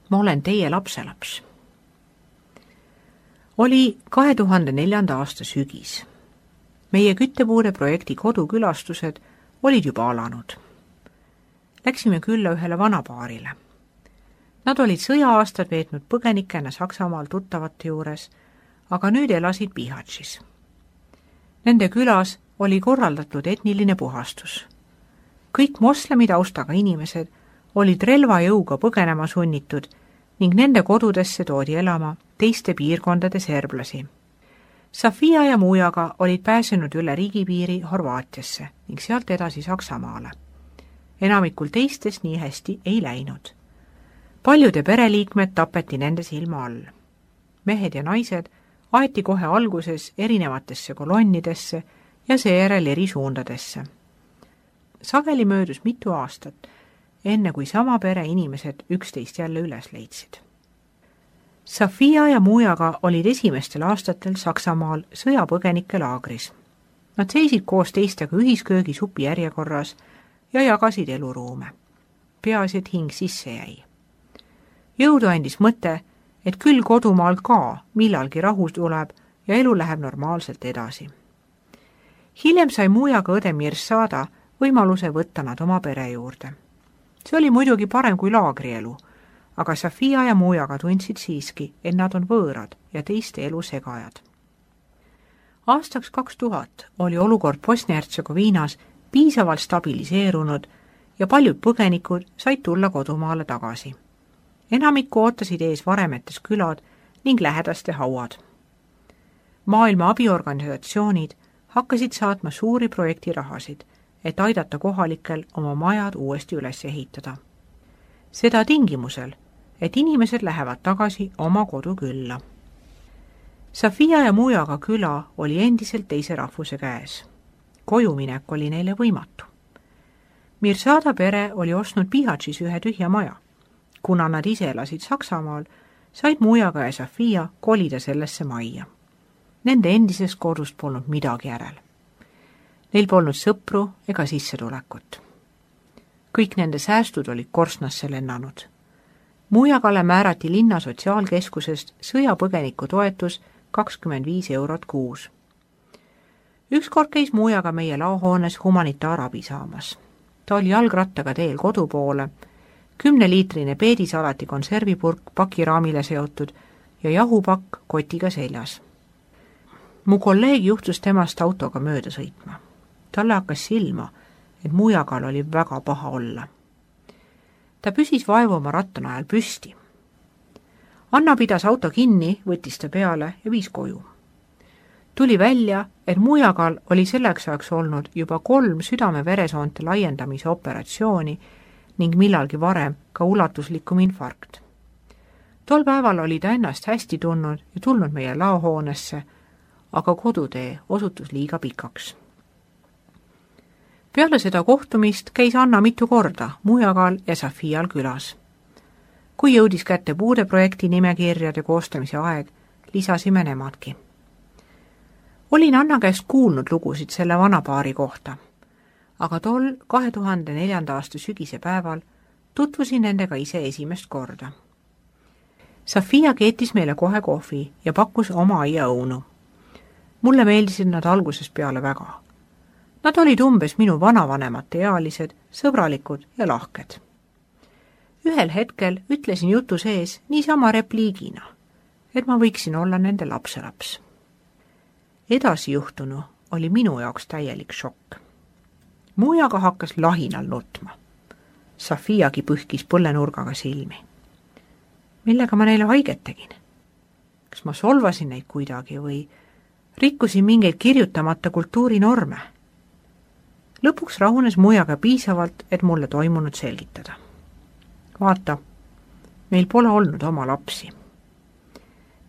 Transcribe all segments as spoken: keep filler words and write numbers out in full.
ma olen teie lapselaps. Oli kahe tuhande neljanda aasta sügis. Meie küttepuude projekti kodukülastused olid juba alanud. Läksime külla ühele vanapaarile. Nad olid sõja-aastad veetnud põgenikena Saksamaal tuttavate juures, aga nüüd elasid Bihaćis. Nende külas oli korraldatud etniline puhastus. Kõik moslemi taustaga inimesed olid relvajõuga põgenema sunnitud ning nende kodudesse toodi elama teiste piirkondade serblasi. Sofia ja Mujaga olid pääsenud üle riigipiiri Horvaatiasse ning sealt edasi Saksamaale. Enamikul teistes nii hästi ei läinud. Paljude pereliikmed tapeti nende silma all. Mehed ja naised aeti kohe alguses erinevatesse kolonnidesse ja seejärel eri suundadesse. Sageli möödus mitu aastat, enne kui sama pere inimesed üksteist jälle üles leidsid. Sofia ja Mujaga olid esimestel aastatel Saksamaal sõjapõgenike laagris. Nad seisid koos teistega ühisköögi supi järjekorras ja jagasid eluruume. Peaasi, et hing sisse jäi. Jõudu andis mõte, et küll kodumaal ka millalgi rahu tuleb ja elu läheb normaalselt edasi. Hiljem sai Mujaga õde Mirsada võimaluse võtta nad oma pere juurde. See oli muidugi parem kui laagrielu, aga Sofia ja Mujaga tundsid siiski, et nad on võõrad ja teiste elu segajad. Aastaks kaks tuhat oli olukord Bosnia-Hertsegoviinas piisavalt stabiliseerunud ja paljud põgenikud said tulla kodumaale tagasi. Enamikku ootasid ees varemetes külad ning lähedaste hauad. Maailma abiorganisatsioonid hakkasid saatma suuri projektirahasid, et aidata kohalikel oma majad uuesti üles ehitada. Seda tingimusel, et inimesed lähevad tagasi oma kodu külla. Sofia ja Mujaga küla oli endiselt teise rahvuse käes. Kojuminek oli neile võimatu. Mirsada pere oli ostnud Bihaćis ühe tühja maja. Kuna nad ise elasid Saksamaal, said Mujaga ja Sofia kolida sellesse majja. Nende endisest kodust polnud midagi järel. Neil polnud sõpru ega sissetulekut. Kõik nende säästud olid korsnasse lennanud. Mujagale määrati linna sotsiaalkeskusest sõjapõgeniku toetus kakskümmend viis eurot kuus. Ükskord käis Mujaga meie laohoones humanitaarabi saamas. Ta oli jalgrattaga teel kodu poole, kümneliitrine peedisalati konservipurk pakiraamile seotud ja jahupakk kotiga seljas. Mu kolleeg juhtus temast autoga mööda sõitma. Talle hakkas silma, et Mujagal oli väga paha olla. Ta püsis vaevu oma rattanajal püsti. Anna pidas auto kinni, võttis ta peale ja viis koju. Tuli välja, et Mujagal oli selleks ajaks olnud juba kolm südame-veresoonte laiendamise operatsiooni ning millalgi varem ka ulatuslikum infarkt. Tol päeval oli ta ennast hästi tundnud ja tulnud meie laohoonesse, aga kodutee osutus liiga pikaks. Peale seda kohtumist käis Anna mitu korda Mujagal ja Sofial külas. Kui jõudis kätte puudeprojekti nimekirjade koostamise aeg, lisasime nemadki. Olin Anna käest kuulnud lugusid selle vanapaari kohta, aga tol kahe tuhande neljanda aasta sügise päeval tutvusin nendega ise esimest korda. Sofia keetis meile kohe kohvi ja pakkus oma aiaõunu. Mulle meeldisid nad algusest peale väga. Nad olid umbes minu vanavanemate ealised, sõbralikud ja lahked. Ühel hetkel ütlesin jutu sees niisama repliigina, et ma võiksin olla nende lapselaps. Edasi juhtunu oli minu jaoks täielik šokk. Mujaga hakkas lahinal nutma. Sofiagi pühkis põllenurgaga silmi. Millega ma neile haiget tegin? Kas ma solvasin neid kuidagi või rikkusin mingeid kirjutamata kultuurinorme? Lõpuks rahunes Mujaga piisavalt, et mulle toimunud selgitada. Vaata, meil pole olnud oma lapsi.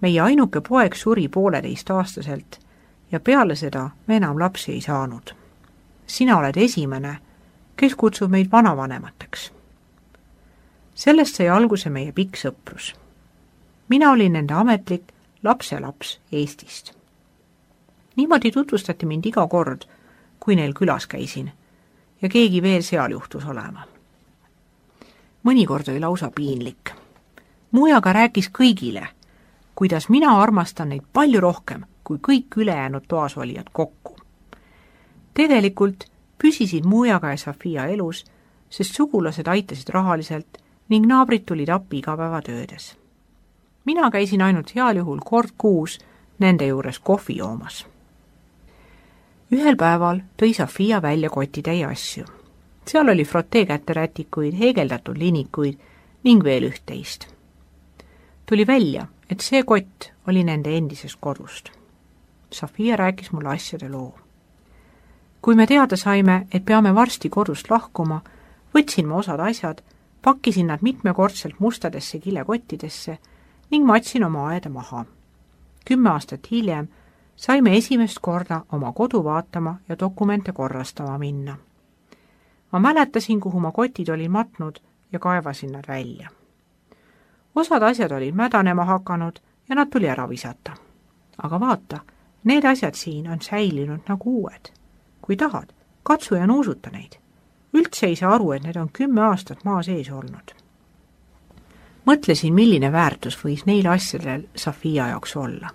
Meie ainuke poeg suri pooleteist aastaselt ja peale seda me enam lapsi ei saanud. Sina oled esimene, kes kutsub meid vanavanemateks. Sellest sai alguse meie pikk sõprus. Mina olin nende ametlik lapselaps Eestist. Niimoodi tutvustati mind iga kord, kui neil külas käisin ja keegi veel seal juhtus olema. Mõnikord oli lausa piinlik. Muiaga rääkis kõigile, kuidas mina armastan neid palju rohkem kui kõik ülejäänud toas olijad kokku. Tegelikult püsisid Muiaga ja Sofia elus, sest sugulased aitasid rahaliselt ning naabrid tulid appi igapäevatöödes. Mina käisin ainult heal juhul kord kuus nende juures kohvi joomas. Ühel päeval tõi Sofia välja kotitäie asju. Seal oli frotee käterätikuid, heegeldatud linikuid ning veel üht-teist. Tuli välja, et see kott oli nende endisest kodust. Sofia rääkis mulle asjade loo. Kui me teada saime, et peame varsti kodust lahkuma, võtsin ma osad asjad, pakkisin nad mitmekordselt mustadesse kilekottidesse ning matsin oma aeda maha. Kümme aastat hiljem saime esimest korda oma kodu vaatama ja dokumente korrastama minna. Ma mäletasin, kuhu ma kotid olin matnud ja kaevasin nad välja. Osad asjad olid mädanema hakanud ja nad tuli ära visata. Aga vaata, need asjad siin on säilinud nagu uued. Kui tahad, katsu ja nuusuta neid. Üldse ei saa aru, et need on kümme aastat maa sees olnud. Mõtlesin, milline väärtus võis neil asjadel Sofia jaoks olla.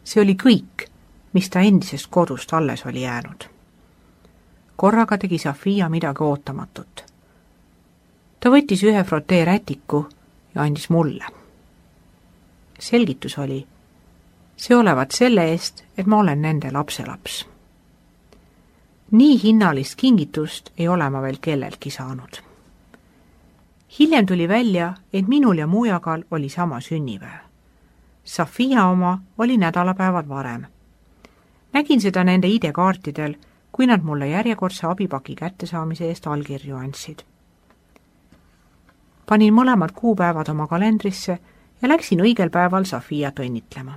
See oli kõik, mis ta endisest kodust alles oli jäänud. Korraga tegi Sofia midagi ootamatut. Ta võttis ühe frotee rätiku ja andis mulle. Selgitus oli, see olevat selle eest, et ma olen nende lapselaps. Nii hinnalist kingitust ei ole ma veel kelleltki saanud. Hiljem tuli välja, et minul ja Muiagal oli sama sünnipäev. Sofia oma oli nädalapäevad varem. Nägin seda nende idekaartidel, kui nad mulle järjekordse abipaki kättesaamise eest allkirju andsid. Panin mõlemad kuupäevad oma kalendrisse ja läksin õigel päeval Sofiat õnnitlema.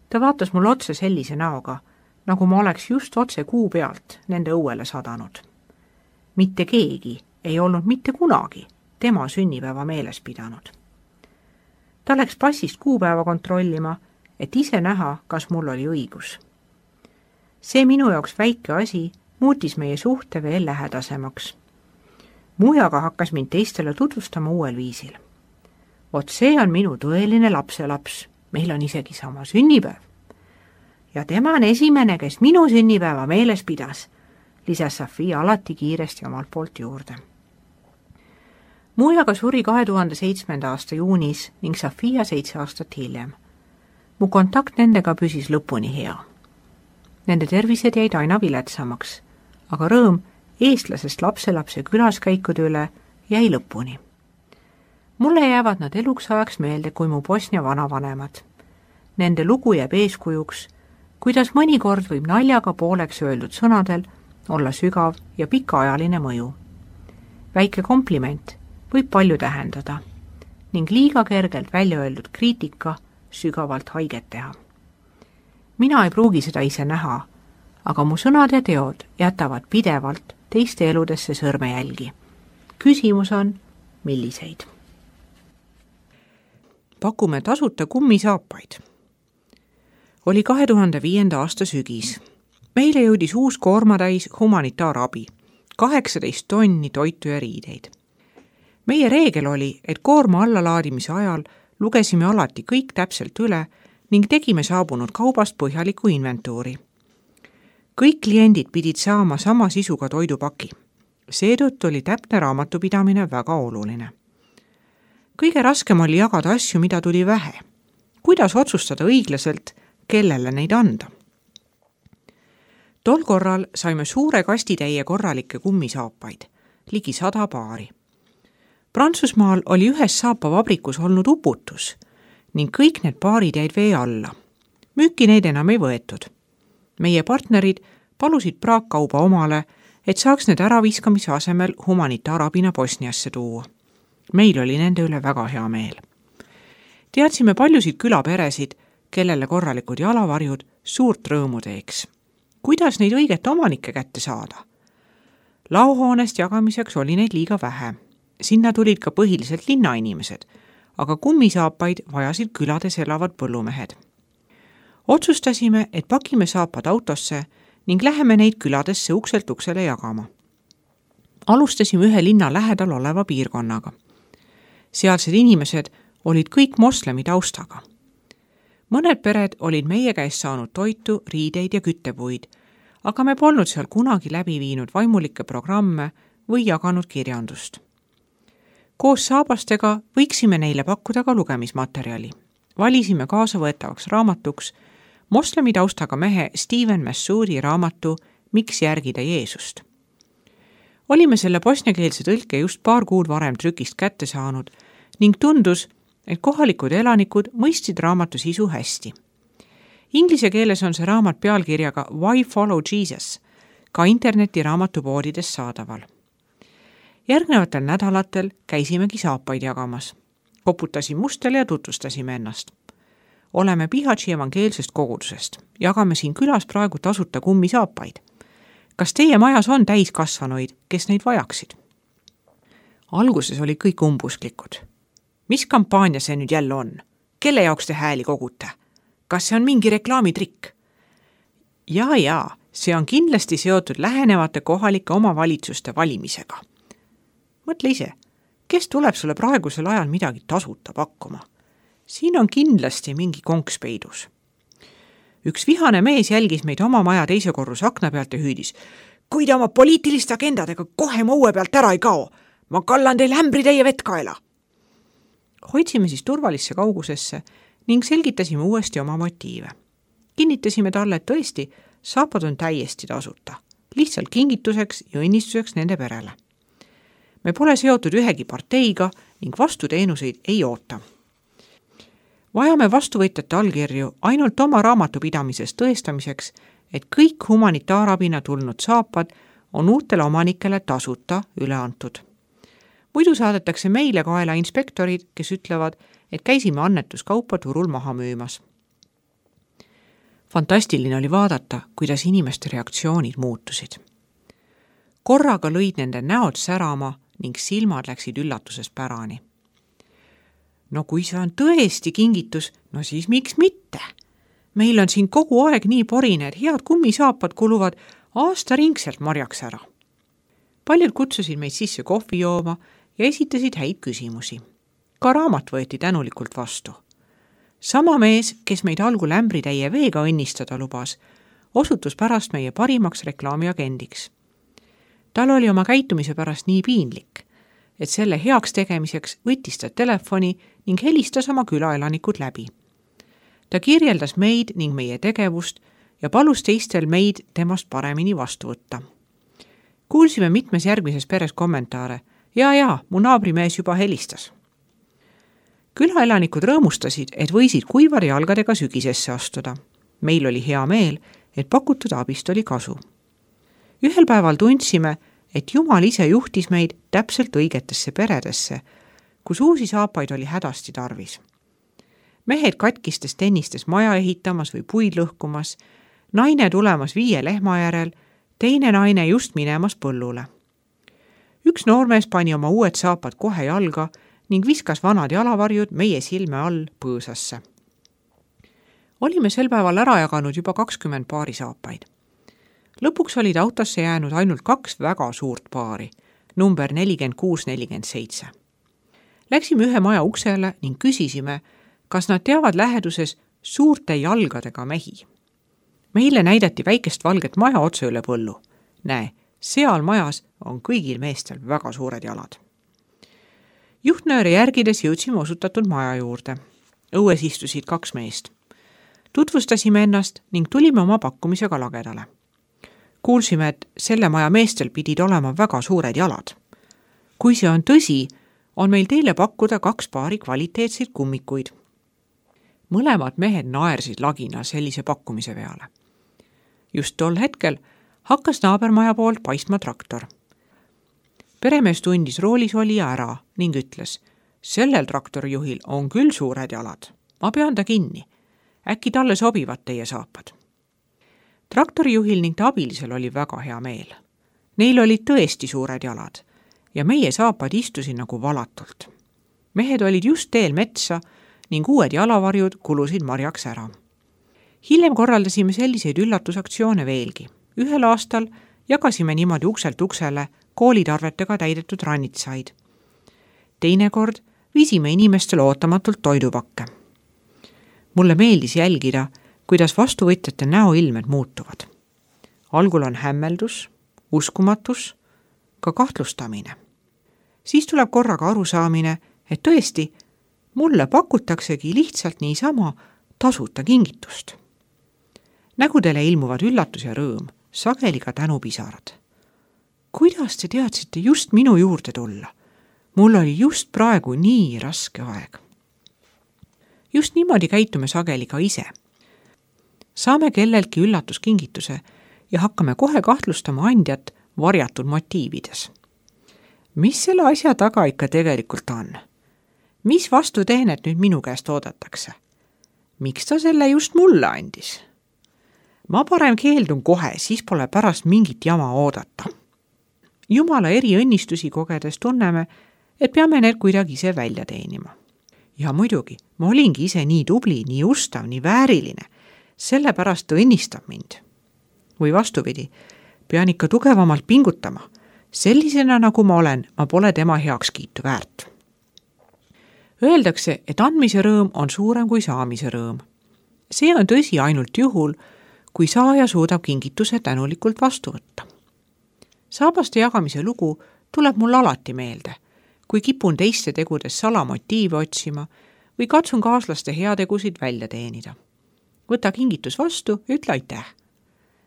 Ta vaatas mulle otse sellise näoga, nagu ma oleks just otse kuu pealt nende õuele sadanud. Mitte keegi ei olnud mitte kunagi tema sünnipäeva meeles pidanud. Ta läks passist kuupäeva kontrollima, et ise näha, kas mul oli õigus. See minu jaoks väike asi muutis meie suhte veel lähedasemaks. Muiaga hakkas mind teistele tutvustama uuel viisil. Vot see on minu tõeline lapselaps, meil on isegi sama sünnipäev. Ja tema on esimene, kes minu sünnipäeva meeles pidas, lisas Sofia alati kiiresti omalt poolt juurde. Muiaga suri kahe tuhande seitsmenda aasta juunis ning Sofia seitse aastat hiljem. Mu kontakt nendega püsis lõpuni hea. Nende tervised jäid aina viletsamaks, aga rõõm eestlasest lapselapse külaskäikude üle jäi lõpuni. Mulle jäävad nad eluks ajaks meelde kui mu Bosnia vanavanemad. Nende lugu jääb eeskujuks, kuidas mõnikord võib naljaga pooleks öeldud sõnadel olla sügav ja pikaajaline mõju. Väike kompliment võib palju tähendada ning liiga kergelt välja öeldud kriitika sügavalt haiget teha. Mina ei pruugi seda ise näha, aga mu sõnad ja teod jätavad pidevalt teiste eludesse sõrmejälgi. Küsimus on, milliseid? Pakume tasuta kummisaapaid. Oli kahe tuhande viienda aasta sügis. Meile jõudis uus koormatäis humanitaarabi, kaheksateist tonni toitu ja riideid. Meie reegel oli, et koorma allalaadimise ajal lugesime alati kõik täpselt üle ning tegime saabunud kaubast põhjaliku inventuuri. Kõik kliendid pidid saama sama sisuga toidupaki. Seetõttu oli täpne raamatupidamine väga oluline. Kõige raskem oli jagada asju, mida tuli vähe. Kuidas otsustada õiglaselt, kellele neid anda? Tol korral saime suure kastitäie korralikke kummisaapaid, ligi sada paari. Prantsusmaal oli ühes saapavabrikus olnud uputus ning kõik need paarid jäid vee alla. Müüki neid enam ei võetud. Meie partnerid palusid praakkauba omale, et saaks need äraviskamise asemel humanitaarabina Bosniasse tuua. Meil oli nende üle väga hea meel. Teadsime paljusid külaperesid, kellele korralikud jalavarjud suurt rõõmu teeks. Kuidas neid õiget omanikke kätte saada? Laohoonest jagamiseks oli neid liiga vähe. Sinna tulid ka põhiliselt linnainimesed, aga kummisaapaid vajasid külades elavad põllumehed. Otsustasime, et pakime saapad autosse ning läheme neid küladesse ukselt uksele jagama. Alustasime ühe linna lähedal oleva piirkonnaga. Sealsed inimesed olid kõik moslemi taustaga. Mõned pered olid meie käest saanud toitu, riideid ja küttepuid, aga me polnud seal kunagi läbi viinud vaimulikke programme või jaganud kirjandust. Koos saabastega võiksime neile pakkuda ka lugemismaterjali. Valisime kaasavõetavaks raamatuks moslemi taustaga mehe Steven Massoudi raamatu Miks järgida Jeesust. Olime selle bosniakeelse tõlke just paar kuud varem trükist kätte saanud ning tundus, et kohalikud elanikud mõistsid raamatu sisu hästi. Inglise keeles on see raamat pealkirjaga Why Follow Jesus, ka interneti raamatupoodides saadaval. Järgnevatel nädalatel käisimegi saapaid jagamas. Koputasin mustele ja tutvustasime ennast. Oleme Bihaći evangeelsest kogudusest. Jagame siin külas praegu tasuta kummisaapaid. Kas teie majas on täiskasvanuid, kes neid vajaksid? Alguses oli kõik umbusklikud. Mis kampaania see nüüd jälle on? Kelle jaoks te hääli kogute? Kas see on mingi reklaamitrikk? Jaa, jaa, see on kindlasti seotud lähenevate kohalike omavalitsuste valimisega. Mõtle ise, kes tuleb sulle praegusel ajal midagi tasuta pakkuma? Siin on kindlasti mingi konks peidus. Üks vihane mees jälgis meid oma maja teise korruse akna pealt ja hüüdis. Kui te oma poliitiliste agendadega kohe mu õue pealt ära ei kao, ma kallan teil ämbri teie vetkaela. Hoidsime siis turvalisse kaugusesse ning selgitasime uuesti oma motiive. Kinnitasime talle, et tõesti, saapad on täiesti tasuta, lihtsalt kingituseks ja õnnistuseks nende perele. Me pole seotud ühegi parteiga ning vastuteenuseid ei oota. Vajame vastuvõtjate allkirju ainult oma raamatupidamises tõestamiseks, et kõik humanitaarabina tulnud saapad on uutele omanikele tasuta üle antud. Muidu saadetakse meile kaela inspektorid, kes ütlevad, et käisime annetuskaupa turul maha müümas. Fantastiline oli vaadata, kuidas inimeste reaktsioonid muutusid. Korraga lõid nende näod särama ning silmad läksid üllatuses pärani. No kui see on tõesti kingitus, no siis miks mitte? Meil on siin kogu aeg nii porine, et head kummisaapad kuluvad aasta ringselt marjaks ära. Paljud kutsusid meid sisse kohvi jooma ja esitasid häid küsimusi. Ka raamat võeti tänulikult vastu. Sama mees, kes meid algul ämbritäie veega õnnistada lubas, osutus pärast meie parimaks reklaamiagendiks. Tal oli oma käitumise pärast nii piinlik, et selle heaks tegemiseks võttis ta telefoni ning helistas oma külaelanikud läbi. Ta kirjeldas meid ning meie tegevust ja palus teistel meid temast paremini vastu võtta. Kuulsime mitmes järgmises peres kommentaare. Ja, ja, mu naabrimees juba helistas. Külaelanikud rõõmustasid, et võisid kuivade jalgadega sügisesse astuda. Meil oli hea meel, et pakutud abist oli kasu. Ühel päeval tundsime, et Jumal ise juhtis meid täpselt õigetesse peredesse, kus uusi saapaid oli hädasti tarvis. Mehed katkistes tennistes maja ehitamas või puid lõhkumas, naine tulemas viie lehma järel, teine naine just minemas põllule. Üks noormees pani oma uued saapad kohe jalga ning viskas vanad jalavarjud meie silme all põõsasse. Olime sel päeval ära jaganud juba kakskümmend paari saapaid. Lõpuks olid autosse jäänud ainult kaks väga suurt paari, number nelikümmend kuus nelikümmend seitse. Läksime ühe maja uksele ning küsisime, kas nad teavad läheduses suurte jalgadega mehi. Meile näidati väikest valget maja otse üle põllu. Näe, seal majas on kõigil meestel väga suured jalad. Juhtnööre järgides jõudsime osutatud maja juurde. Õues istusid kaks meest. Tutvustasime ennast ning tulime oma pakkumisega lagedale. Kuulsime, et selle maja meestel pidid olema väga suured jalad. Kui see on tõsi, on meil teile pakkuda kaks paari kvaliteetseid kummikuid. Mõlemad mehed naersid lagina sellise pakkumise peale. Just tol hetkel hakkas naabermaja poolt paistma traktor. Peremees tundis roolis olija ära ning ütles, sellel traktorijuhil on küll suured jalad. Ma pean ta kinni. Äkki talle sobivad teie saapad. Traktorijuhil ning ta abilisel oli väga hea meel. Neil olid tõesti suured jalad ja meie saapad istusid nagu valatult. Mehed olid just teel metsa ning uued jalavarjud kulusid marjaks ära. Hiljem korraldasime selliseid üllatusaktsioone veelgi. Ühel aastal jagasime niimoodi ukselt uksele koolitarvetega täidetud rannitsaid. Teinekord viisime inimestele ootamatult toidupakke. Mulle meeldis jälgida, kuidas vastuvõtjate näoilmed muutuvad. Algul on hämmeldus, uskumatus, ka kahtlustamine. Siis tuleb korraga arusaamine, et tõesti, mulle pakutaksegi lihtsalt niisama tasuta kingitust. Nägudele ilmuvad üllatus ja rõõm, sageli ka tänupisarad. Kuidas te teadsite just minu juurde tulla? Mul oli just praegu nii raske aeg. Just niimoodi käitume sageli ka ise. Saame kelleltki üllatuskingituse ja hakkame kohe kahtlustama andjat varjatud motiivides. Mis selle asja taga ikka tegelikult on? Mis vastuteenet nüüd minu käest oodatakse? Miks ta selle just mulle andis? Ma parem keeldun kohe, siis pole pärast mingit jama oodata. Jumala eri õnnistusi kogedes tunneme, et peame need kuidagi ise välja teenima. Ja muidugi, ma olingi ise nii tubli, nii ustav, nii vääriline. Sellepärast ta õnnistab mind. Või vastupidi, pean ikka tugevamalt pingutama. Sellisena, nagu ma olen, ma pole tema heakskiitu väärt. Öeldakse, et andmise rõõm on suurem kui saamise rõõm. See on tõsi ainult juhul, kui saaja suudab kingituse tänulikult vastu võtta. Saabaste jagamise lugu tuleb mul alati meelde, kui kipun teiste tegudes salamotiive otsima või katsun kaaslaste heategusid välja teenida. Võta kingitus vastu ja ütle aitäh.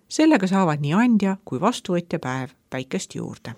Sellega saavad nii andja kui vastuvõtja päev päikest juurde.